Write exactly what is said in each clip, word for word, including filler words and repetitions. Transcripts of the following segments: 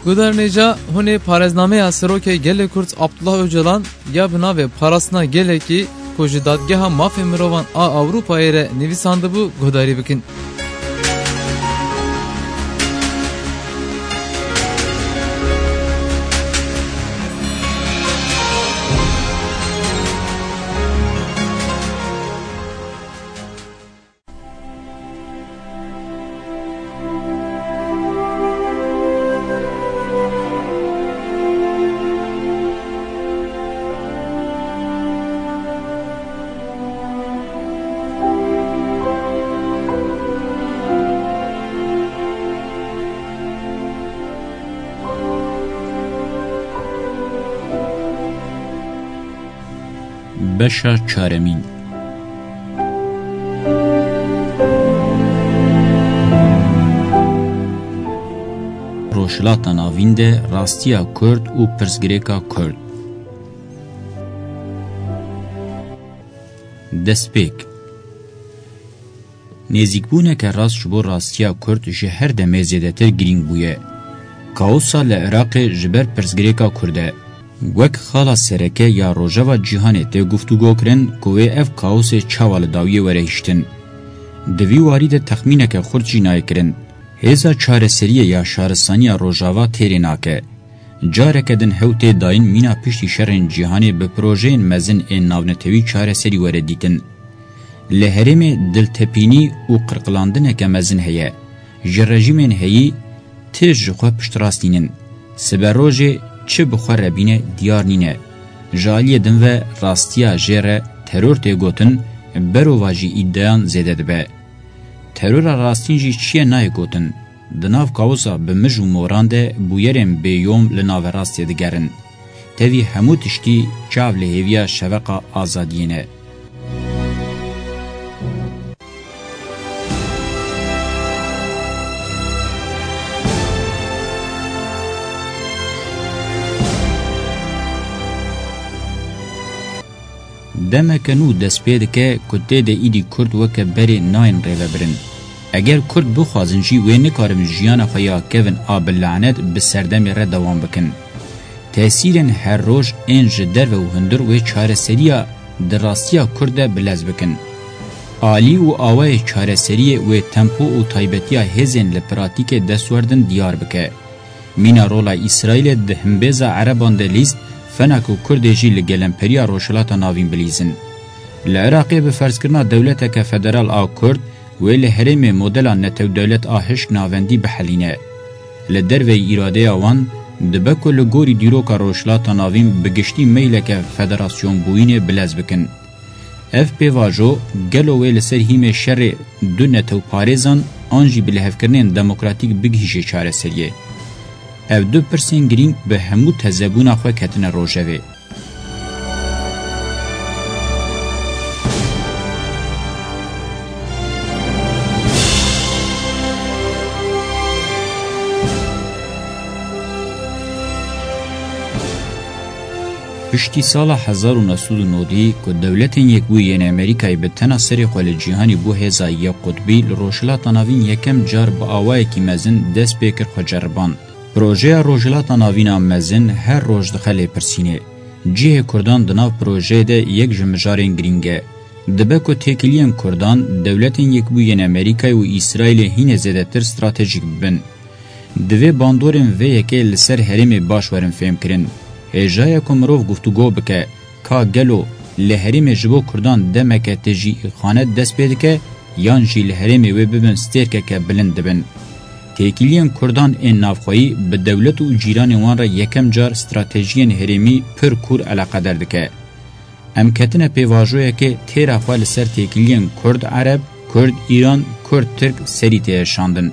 Guhdarên hêja, hûn ê parêznameya Serokê Gelê Kurd Abdullah Ocalan ya bi navê Parastina Gelekî ku ji Dadgeha Mafê Mirovan a Ewropayê re nivîsandibû guhdarî bikin. Beşa çaremîn. Rojhilata Navîn de rastiya Kurd û pirsgirêka Kurd. Destpêk. Nêzîkbûneke rast ji bo rastiya Kurd ji her demê zêdetir girîng bûye. Kaosa li Iraqê ji ber pirsgirêka Kurd e. Wek xala sereke ya Rojava Cîhanê tê guftûgo kirin ku wê ev kaosê çawa li dawiyê were hiştin. Di vî warî de texmîneke xurt jî nayê kirin. Hêza çareseriyê ya şaristaniya Rojava têrê nake. Careke din hew tê dayîn mîna piştî şerên cîhanê bi projeyên mezin ên navnetewî çareserî were dîtin. Li herêmê diltepînî û qirqilandineke mezin heye. Ji rejîmên heyî ti ji xwe piştrast nînin. Siberojê çi bi xwe re bîne diyar nîne. Ji aliyê din ve rastiya jê re teror tê gotin, berovajî îdeyan zêde dibe. Terora rastîn jî çi ye nayê gotin. Di nav kaosa bi mij û moran de bûyerên bêyom li naverastê digerin. Tevî hemû tiştî çav li hêviya şeveqa azadiyê ne. Demeke nû dest pê dike ku tê de îdî Kurd weke berê nayên rêvebirin. Eger Kurd bixwazin jî wê nikarin jiyana xwe ya kevin a bi lanet bi serdemê re dewam bikin. Tesîrên her roj ên ji derve û hundir wê çareseriya di rastiya Kurd de bilez bikin. Alî û awayê çareseriyê wê tempo û taybetiya hêzên li pratîkê destwerdin diyar bike. Mîna rola Îsraîlê di himbêza Ereban de lîst, fena ku Kurdê jî li gelemperiya Rojhilata Navîn bilîzin. Li Iraqê bi ferzkirina dewleteke federal a Kurd, wê li herêmê modela netewdewlet a hişk navendî bihelîne. Li derveyî îradeya wan, dibe ku li gorî dîroka Rojhilata Navîn bi giştî meyleke federasyonbûyînê bilez bikin. Ev pêvajo gelo wê li ser hîmê şerê du netewparêzan an jî bilihevkirinên demokratîk bigihîje çareseriyê? Ev du pirsên girîng bi hemû tezebûna xwe ketine rojevê. Piştî sala hezar û neh sed û nodî ku Dewletên Yekbûyî yên Amerîkayê bi tena serê xwe li cîhanê bû hêza yek qutbî, li Rojhilata Navîn yekem car bi awayekî mezin dest pê kir xwe ceriban. Projeya Rojhilata Navîn a mezin her roj dixe lêpirsînê. Cihê Kurdan di nav projeyê de yek ji mijarên girîng e. Dibe ku têkiliyên Kurdan, Dewletên Yekbûyî yên Amerîkayê û Îsraîlê hînê zêdetir stratejîk bibin. Divê bandorên vê yekê li ser herêmê baş werin fêmkirin. Hêja ye ku mirov guftûgo bike, ka gelo li herêmê ji bo Kurdan demeke tijî îxanet dest pê dike, yan jî li herêmê wê bibin stêrkeke bilind dibin. Têkiliyên Kurdan ên navxweyî bi dewlet û cîranên wan re yekem car stratejiyên herêmî pir kûr eleqeder dike. Em ketine pêvajoyekê têra xwe li ser têkiliyên Kurd Ereb, Kurd Îran, Kurd Tirk serî têye şandin.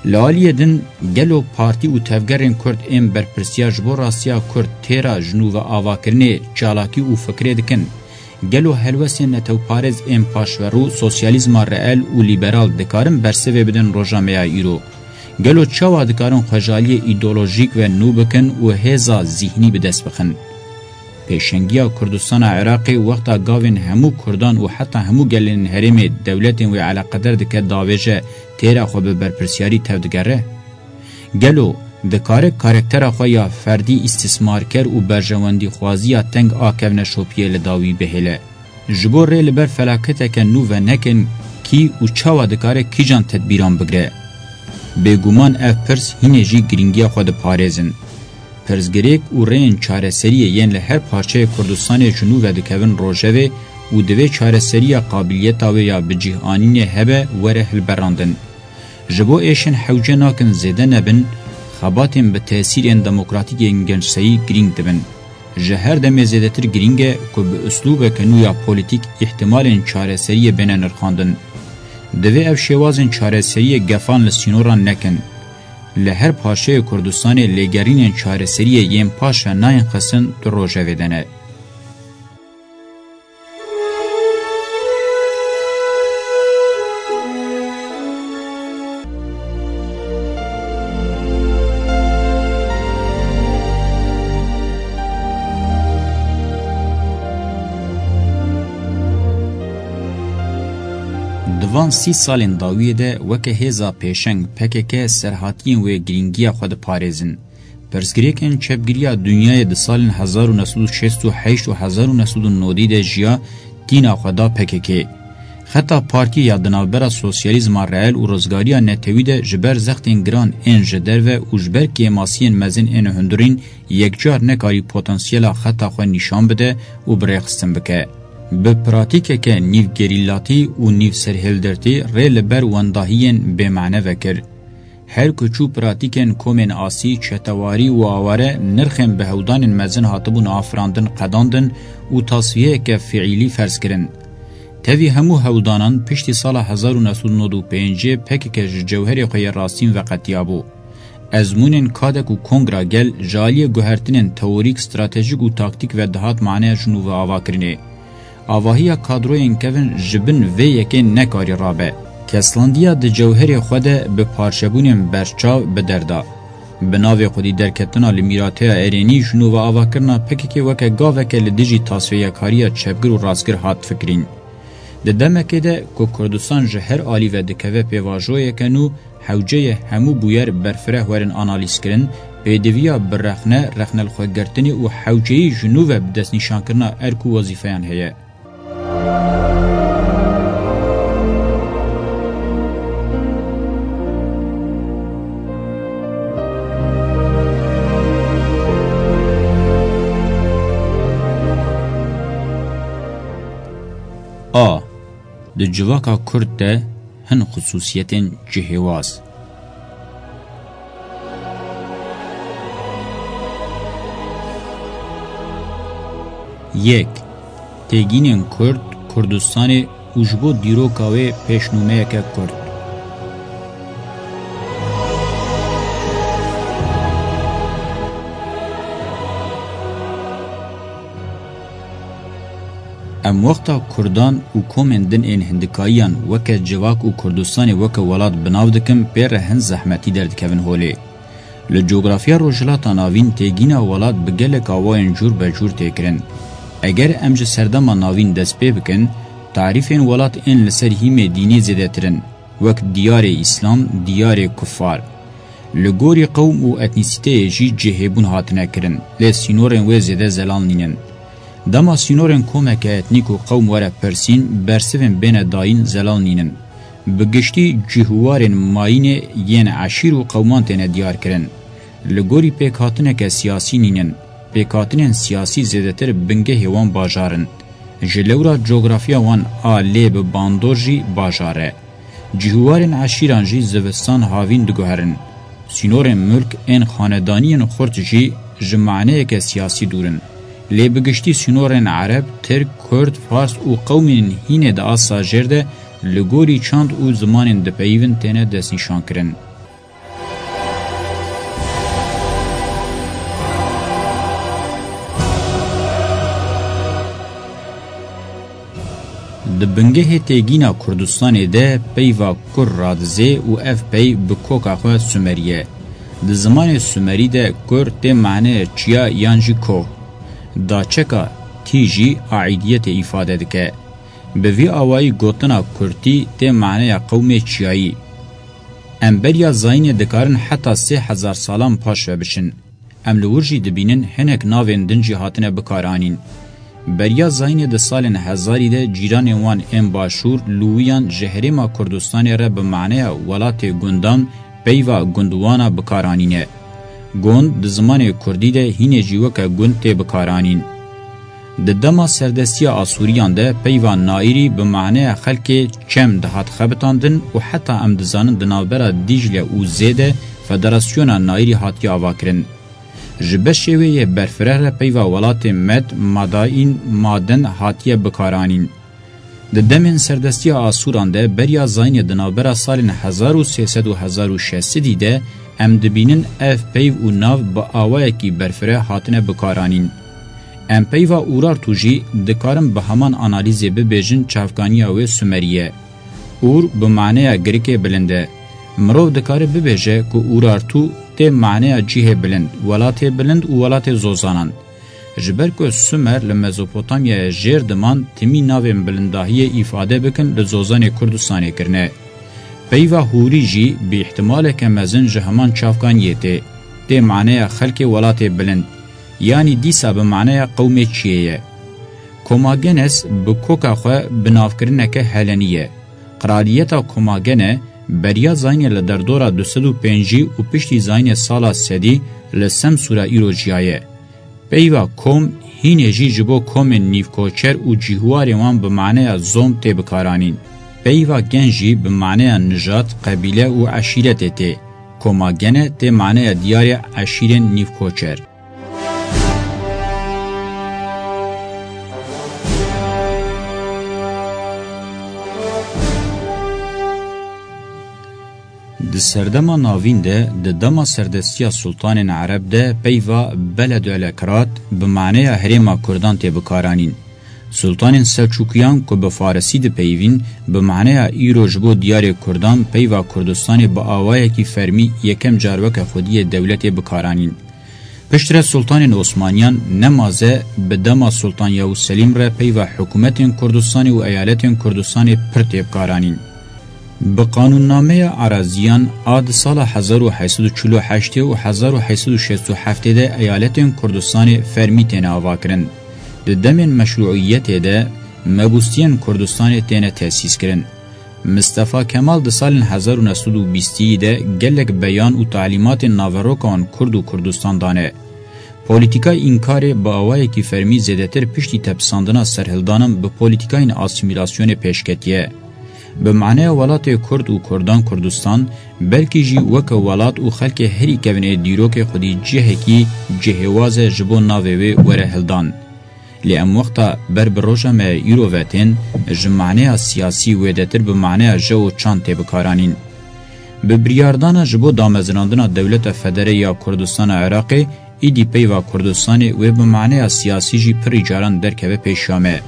Li aliyê din, gelo partî û tevgerên Kurd ên berpirsiyar ji bo rastiya Kurd têra ji nû ve avakirinê, çalakî û fikirê dikin? Gelo helwestên netewparêz ên paşverû, sosyalîzma reel û lîberal dikarin bersivê bidin roja me ya îro? Gelo çawa dikarin xwejaliyê îdeolojîk ve nû bikin û hêza zîhnî bi dest bixin? Pêşengiya Kurdistana Iraqê wexta gavên hemû Kurdan û heta hemû gelên herêmê dewletên wê eleqeder dike davêje têra xwe bi berpirsiyarî tevdigere? Gelo Dikare karaktera xwe ya ferdî îstîsmarker û berjewendîxwaziya teng a kevneşopiyê li dawî bihêle. Ji bo rê li ber felaketeke nû venekin kî û çawa dikare kîjan tedbîran bigire? Bêguman ev pirs hînê jî girîngiya xwe diparêzin. Pirsgirêk û rêyên çareseriyê yên li her parçeyê Kurdistanê ji nû vedikevin rojevê û divê çareseriya qabiliyeta wê ya bi cih anînê hebe were hilberandin. Ji bo êşên hewce nakin zêde nebin, xebatên bi tesîrên demokratîk yên gençseyî girîng dibin. Ji her demê zêdetir girîng e ku bi uslûbeke nû ya polîtîk îhtimalên çareseriyê bêne nirxandin. Divê ev şêwazên çareseriyê gefan li sînoran nekin. Li her parçeyê Kurdistanê lêgerînên çareseriyê yên paşve nayên xistin du rojevê de ne. Di van sî salên dawiyê de weke hêza pêşeng P K K serhatiyên wê girîngiya xwe diparêzin. Pirsgirêkên çepgiriya dinyayê di salên hezar û neh sed û şêst û heşt û hezar û neh sed û nodî de jiya tîna xwe da P K K. Xeta partiyê ya di navbera sosyalîzma reel û rizgariya netewî de ji ber zextên giran ên ji derve û ji ber kêmasiyên mezin ên hundirîn yekcar nekarî potansiyela xeta xwe nîşan bide û bi rêxistin bike. Bi pratîkeke nîv gerîlatî û nîv serhildirtî rê li ber wendahiyên bêmane vekir. Her ku çû pratîkên komên asî, çetewarî û aware nirxên bi hewdanên mezin hatibûn afirandin, qedandin û tasfiyeyeke fiîlî ferz kirin. Tevî hemû hewdanan piştî sala hezar û neh sed û nod û pêncê P K K ji cewherê xwe yê rastîn veqetiyabû. Ezmûnên kadek û kongra gel ji aliyê guhertinên teorîk, stratejîk û taktîk ve dihat maneya ji nû ve avakirinê. Avahiya kadroyên kevin ji bin vê yekê nekarî rabe. Keslandiya di cewherê xwe de bi parçebûnên berçav bi der da. Bi navê xwedî derketina li mîrateya erênî ji nû ve avakirina P K K weke gaveke li dijî tasfêyekariya çepgir û rastgir hat fikirîn. Di demekê de ku Kurdistan ji her alî ve dikeve pêvajoyeke nû, hewce ye hemû bûyer berfireh werin analîzkirin, pêdiviya bi rexne, rexnelxwegirtinê û hewceyî ji nû ve bi destnîşankirina erk û wezîfeyan heye. A. Di civaka Kurd de hin xisûsiyetên cihêwaz. Yek. Têgînên Kurd, Kurdistanê û ji bo dîroka wê pêşnûmeyeke Kurd. Em wexta Kurdan û komên din ên hindikayiyan weke civak û Kurdistanê weke welat bi nav dikin, pê re hin zehmetî derdikevin holê. Li cografiya Rojhilata Navîn têgîna welat bi gelek awayên cûr be cûr tê kirin. Eger em ji Serdema Navîn dest pê bikin, tarîfên welat ên li ser hîmê dînî zêdetir in, wek diyarê Îslam, diyarê kufar. Li gorî qewm û etnîsîteyê jî cihêbûn hatine kirin, lê sînorên wê zêde zelal nînin. Dema sînorên komeke etnîk û qewm were pirsîn, bersivên bêne dayîn zelal nînin. Bi giştî cih û warên mayînê yên eşîr û qewman têne diyar kirin. Li gorî pêkhatineke siyasî nînin. Pêkhatinên siyasî zêdetir bingehê wan bajar in. Ji lewra cografiya wan a lê bi bandor jî bajar e. Cih û warên eşîran jî zivistan havîn diguherin. Sînorên milk ên xanedaniyên xurt jî ji maneyeke siyasî dûr in. Lê bi giştî sînorên ereb, tirk, kurd, fars û qewmên hînê di asta jêr de li gorî çand û zimanên dipeyivin têne destnîşankirin. Di bingehê têgîna Kurdistanê de peyva kur radizê û ev pey bi koka xwe Sumerî ye. Di zimanê Sumerî de kur tê maneya çiya yan jî koh. Daçeka tî jî aîdiyetê îfade dike. Bi vî awayî gotina kurtî tê maneya qewmê çiyayî. Em beriya zayînê dikarin heta sê hezar salan paş ve biçin. Em li wir jî dibînin hinek navên din jî hatine bikaranîn. Beriya zayînê di salên hezarî de cîranên wan ên başûr, Lûwiyan ji herêma Kurdistanê re bi maneya welatê gundan peyva gundwana bikaranîne. Gund di zimanê kurdî de hînê jî weke gund tê bikaranîn. Di dema serdestiya Asûriyan de peyva naîrî bi maneya xelkê çem dihat xebitandin û heta em dizanin di navbera Dîcle û Zê de federasyona naîrî hatiye avakirin. Ji beşê wê yê berfireh re peyva welatê Med, Madain, Maden hatiye bikaranîn. Di demên serdestiya Asûran de beriya zayînê di navbera salên hezar û sê sed û hezar û şeş sedî de em dibînin ev peyv û nav bi awayekî berfireh hatine bikaranîn. Em peyva Urartu jî dikarin bi heman analîzê bibêjin çavkaniya wê Sumerî ye. Ur bi maneya girikê bilind e. Mirov dikare bibêje ku Urartu tê maneya cihê bilind, welatê bilind û welatê zozanan. Ji ber ku Sumer li Mezopotamyaya jêr diman, timî navên bilindahiyê îfade bikin li zozanê Kurdistanê kirine. Peyva Hûrî jî bi îhtimaleke mezin ji heman çavkaniyê tê. Tê maneya xelkê welatê bilind, yanî dîsa bi maneya qewmê çiyê ye. Komagenes bi koka xwe binavkirineke helenî ye. Qraliyeta Komagene beriya zayînê li derdora du sed û pêncî û piştî zayînê sala sedî li Semsûra îro jiyaye. Peyva kom hînê jî ji bo komên nîvkoçer û cîhwarên wan bi maneya zom tê bikaranîn. Peyva gen jî bi maneya nijad, qebîle û eşîretê tê. Koma gene tê maneya diyarê eşîrên nîvkoçer. Di serdema navîn de, di dema serdestiya sultanên ereb de peyva Beledü Elekrat bi maneya herêma kurdan tê bikaranîn. Sultanên Selçûkiyan ku bi farisî dipeyivîn, bi maneya îro ji bo diyarê kurdan peyva Kurdistanê bi awayekî fermî yekem car weke xwediyê dewletê bikaranîn. Piştre Sultanên Osmaniyan nemaze bi dema Sultan Yavuz Selîm re peyva hikûmetên Kurdistanê û eyaletên Kurdistanê pir tê bikaranîn. Bi qanûnnameya Araziyan a di sala hezar û heyt sed û çil û heştê û hezar û heyt sed û şêst û heftê de eyaletên Kurdistanê fermî têne avakirin. Di demên meşrûiyetê de mebûstiyên Kurdistanê têne tesîs kirin. Mistefa Kemal di salên hezar û neh sed û bîstî de gelek beyan û talîmatên naveroka wan Kurd û Kurdistan dane. Polîtîkayê înkarê bi awayekî fermî zêdetir piştî tepisandina serhildanan bi polîtîkayên asîmîlasyonê pêş ketiye. Bi maneya welatê Kurd û Kurdan Kurdistan, belkî jî weke welat û xelkê herî kevin ê dîrokê xwedî cihekî cihêwaz e ji bo navê wê were hildan. Lê em wexta ber bi roja me îro ve tên, ji maneya siyasî wêdetir bi maneya je û çand tê bikaranîn. Bi biryardana ji bo damezinandina dewleta federe ya Kurdistana Iraqê, îdî peyva Kurdistanê wê bi maneya siyasî jî pirî caran derkeve pêşiya me.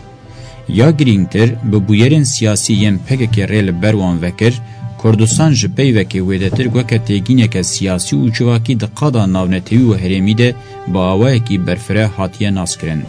Ya girîngtir, bi bûyerên siyasî yên P K K rê li ber wan vekir, Kurdistan ji peyvekê wêdetir weke têgîneke siyasî û civakî di qada navnetewî û herêmî de bi awayekî berfireh hatiye naskirin.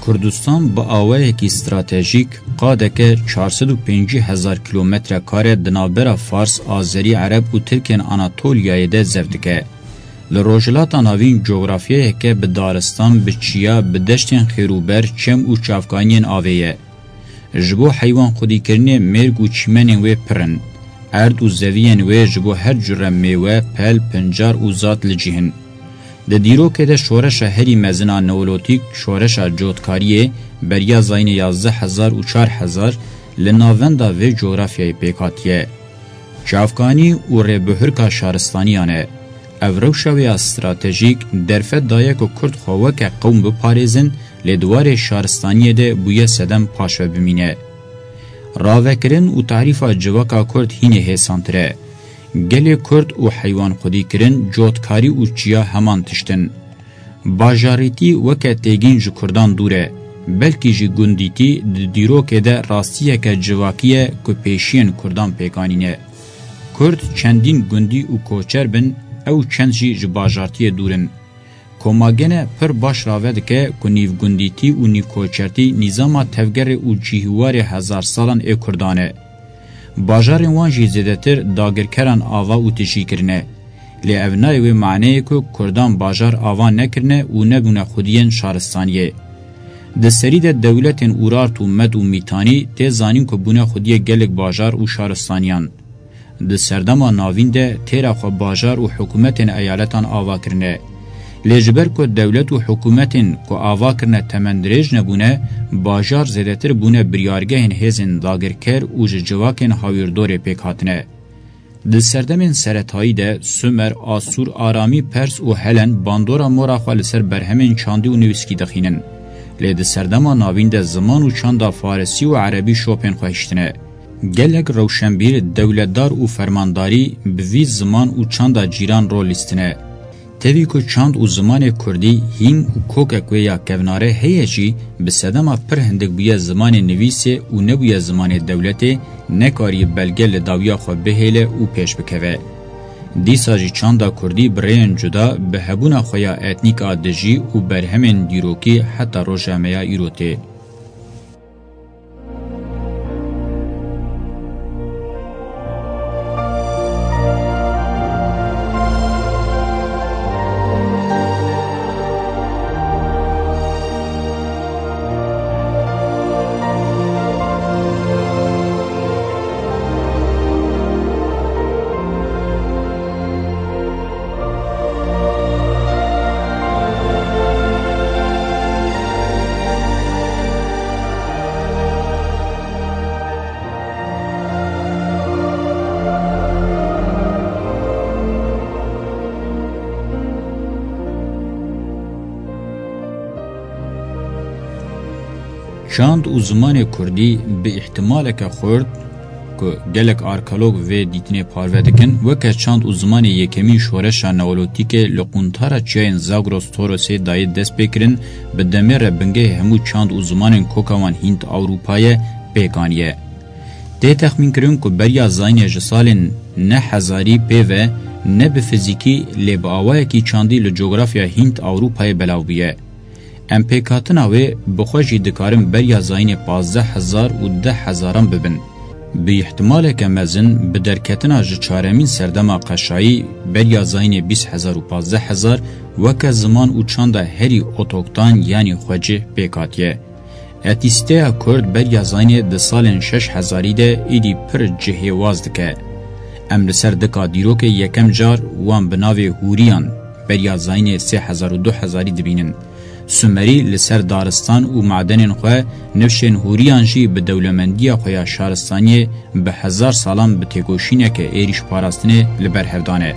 Kurdistan bi awayekî stratejîk qadeke çar sed û pêncî hezar kilometre kare di navbera Fars, Azerî, Ereb û Tirkên Anatoliyayê de zev dike. Li Rojhilata Navîn cografyayeke bi daristan, bi çiya, bi deştên xêrûber, çem û çavkaniyên avê ye. Ji bo heywan xwedîkirinê mêrg û çîmenên wê pir in. Erd û zeviyên wê ji bo her cure mêwe, pel, pincar û zat li cih in. Di dîrokê de şoreşa herî mezin a neolotîk, şoreşa cotkariyê, beriya zayînê yazdeh hezar û çar hezar li navenda vê cografyayê pêk hatiye. Çavkanî û rêbihurka şaristaniyan e. Ev rewşa wê ya stratejîk derfet daye ku Kurd xwe weke qewm biparêzin, lê di warê şaristaniyê de bûye sedem paşve bimîne. Ravekirin û tarîfa civaka Kurd hînê hêsantir e. Gelê Kurd û heywan xwedîkirin, cotkarî û çiya heman tişt in. Bajarîtî weke têgîn ji Kurdan dûr e, belkî jî gundîtî di dîrokê de rastiyeke civakî ye ku pêşiyên Kurdan pêk anîne. Kurd çendîn gundî û koçer bin, ew çend jî ji bajartiyê dûr in. Koma gene pir baş rave dike ku nîvgundîtî û nîvkoçertî nîzama tevgerê û cîhwarê hezar salan ê Kurdan e. Bajarên wan jî zêdetir dagirkeran ava û tijî kirine. Lê ev nayê wê maneyê ku Kurdan bajar ava nekirine û nebûne xwediyên şaristaniyê. Di serî de dewletên Urart û Med û Mîtanî tê zanîn ku bûne xwediyê gelek bajar û şaristaniyan. Di serdema navîn de têra xwe bajar û hikûmetên eyaletan ava kirine. Lê ji ber ku dewlet û hikûmetên ku ava kirine temendirêj nebûne, bajar zêdetir bûne biryargehên hêzên dagirker û ji civakên hawîrdorê pêk hatine. Di serdemên seretayî de Sumer, Asûr, Aramî, Pers û Helen bandora mora xwe li ser berhemên çandî û nivîskî dixînin. Lê di serdema navîn de ziman û çanda farisî û erebî şopên xwe hiştine. Gelek rewşenbîr, dewletdar û fermandarî bi vî ziman û çanda cîran rol lîstine. Tevî ku çand û zimanê kurdî hîn û kokek wê ya kevnare heye jî, bi sedema pir hindik bûye zimanê nivîsê û nebûye zimanê dewletê, nekarî belge li dawiya xwe bihêle û pêş bikeve. Dîsa jî çanda kurdî bi rêyên cuda, bi hebûna xwe ya etnîk a dijî û berhemên dîrokî heta roja me ya îro tê. Çand û zimanê kurdî bi îhtimaleke xurt, ku gelek arkeolog vê dîtinê parve dikin, weke çand û zimanê yekemîn şoreşa neolotîkê li quntara çiyayên Zagros Torosê dayê destpêkirin, bi demê re bingehê hemû çand û zimanên koka wan Hînd Ewropa ye, pêk aniye. Tê texmînkirin ku beriya zayînê ji salên neh hezarî pê ve ne bi fizîkî lê bi awayekî çandî li cografya Hînd Ewropayê belav bûye. Em pêkhatina wê bi xwe jî dikarin beriya zayînê pazdeh hezar û deh hezaran bibin. Bi îhtimaleke mezin bi derketina ji çaremîn serdema qeşayî beriya zayînê bîst hezar û pazdeh hezar weke ziman û çanda herî otoktan yanî xwecih pêk hatiye. Etnîsîteya Kurd beriya zayînê di salên şeş hezarî de êdî pir cihêwaz dike. Em li ser dika dîrokê yekem car wan bi navê Hûriyan beriya zayînê sê hezar û du hezarî dibînin. Sumerî li ser daristan û madenên xwe, nifşên Hûriyan jî bi dewlemendiya xwe ya şaristaniyê bi hezar salan bi têkoşîneke êrîşparastinê li ber hev dane.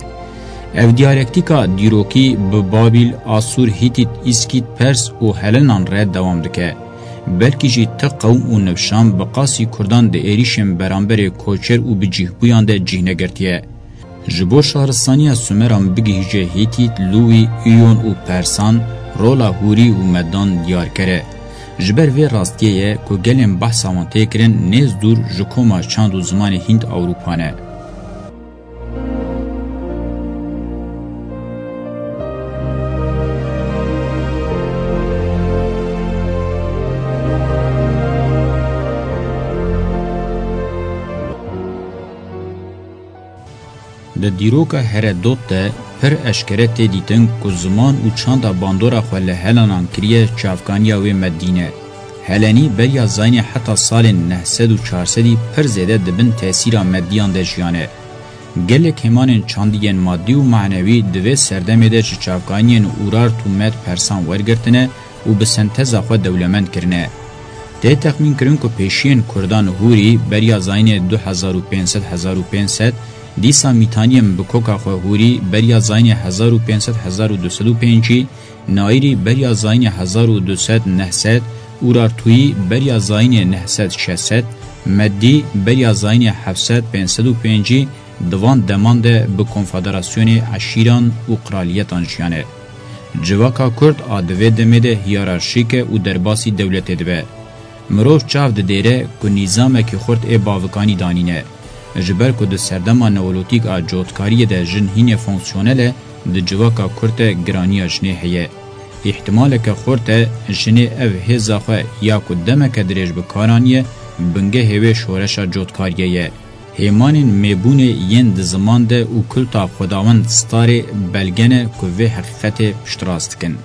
Ev diyalektîka dîrokî bi Babîl, Asûr, Hîtît, Îskît, Pers û Helenan re dewam dike. Belkî jî ti qewm û nifşan bi qasî Kurdan di êrîşên beramberê koçer û bicîhbûyan de cih negirtiye. Ji bo şaristaniya Sumeran bigihîje Hîtît, Lûwî, Îyon û Persan, rola Hûrî û Medan diyarker e. Ji ber vê rastiyê ye ku gelên behsa wan tê kirin nêz dûr ji koma çand û zimanê Hînd Ewropa ne. Di dîroka Heredot de pir eşkere tê dîtin ku ziman û çanda bandora xwe li Helanan kiriye çavkaniya wê Meddî ne. Helenî beriya zayînê heta salên neh sed û çar sedî pir zêde di bin tesîra Meddiyan de jiyane. Gelek hêmanên çandî yên madî û manewî di vê serdemê de ji çavkaniyên Urart û Med Persan wergirtine û bi senteza xwe dewlemend kirine. Tê texmînkirin ku pêşiyên Kurdan Hûrî beriya zayînê du hezar û pênc sed hezar û pênc sed, dîsa Mîtaniyên bi koka xwe Hûrî beriya zayînê hezar û pênc sed hezar û du sed û pêncî, Naîrî beriya zayînê hezar û du sed neh sed, Urartûyî beriya zayînê neh sed şeş sed, Meddî beriya zayînê heft sed pênc sed û pêncî, di van deman de bi konfederasyonê eşîran û qraliyetan jiyane. Civaka Kurd a di vê demê de hiyerarşîk e û derbasî dewletê dibe. Mirov çav didêre ku nîzamekî xurt ê bavikanî danîne. Ji ber ku di serdema neolotîk a cotkariyê de jin hînê fonksiyonel e, di civaka kurt de giraniya jinê heye. Îhtimaleke xurt e jinê ev hêza xwe ya ku demeke dirêj bi kar aniye, bingehê wê şoreşa cotkariyê ye. Hêmanên mêbûnê yên di ziman de û kulta Xwedawend Starê belge ne ku vê heqîqetê piştrast dikin.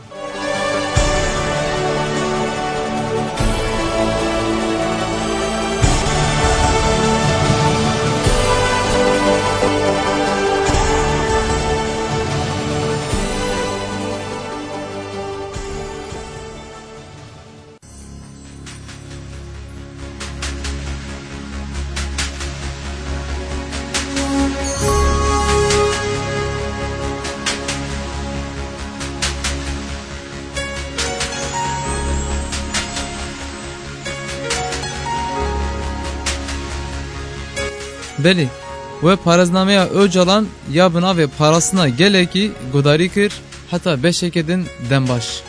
Belê, we parêznameya Ocalan ya bi navê Parastina Gelekî guhdarî kir, heta beşeke din dem baş.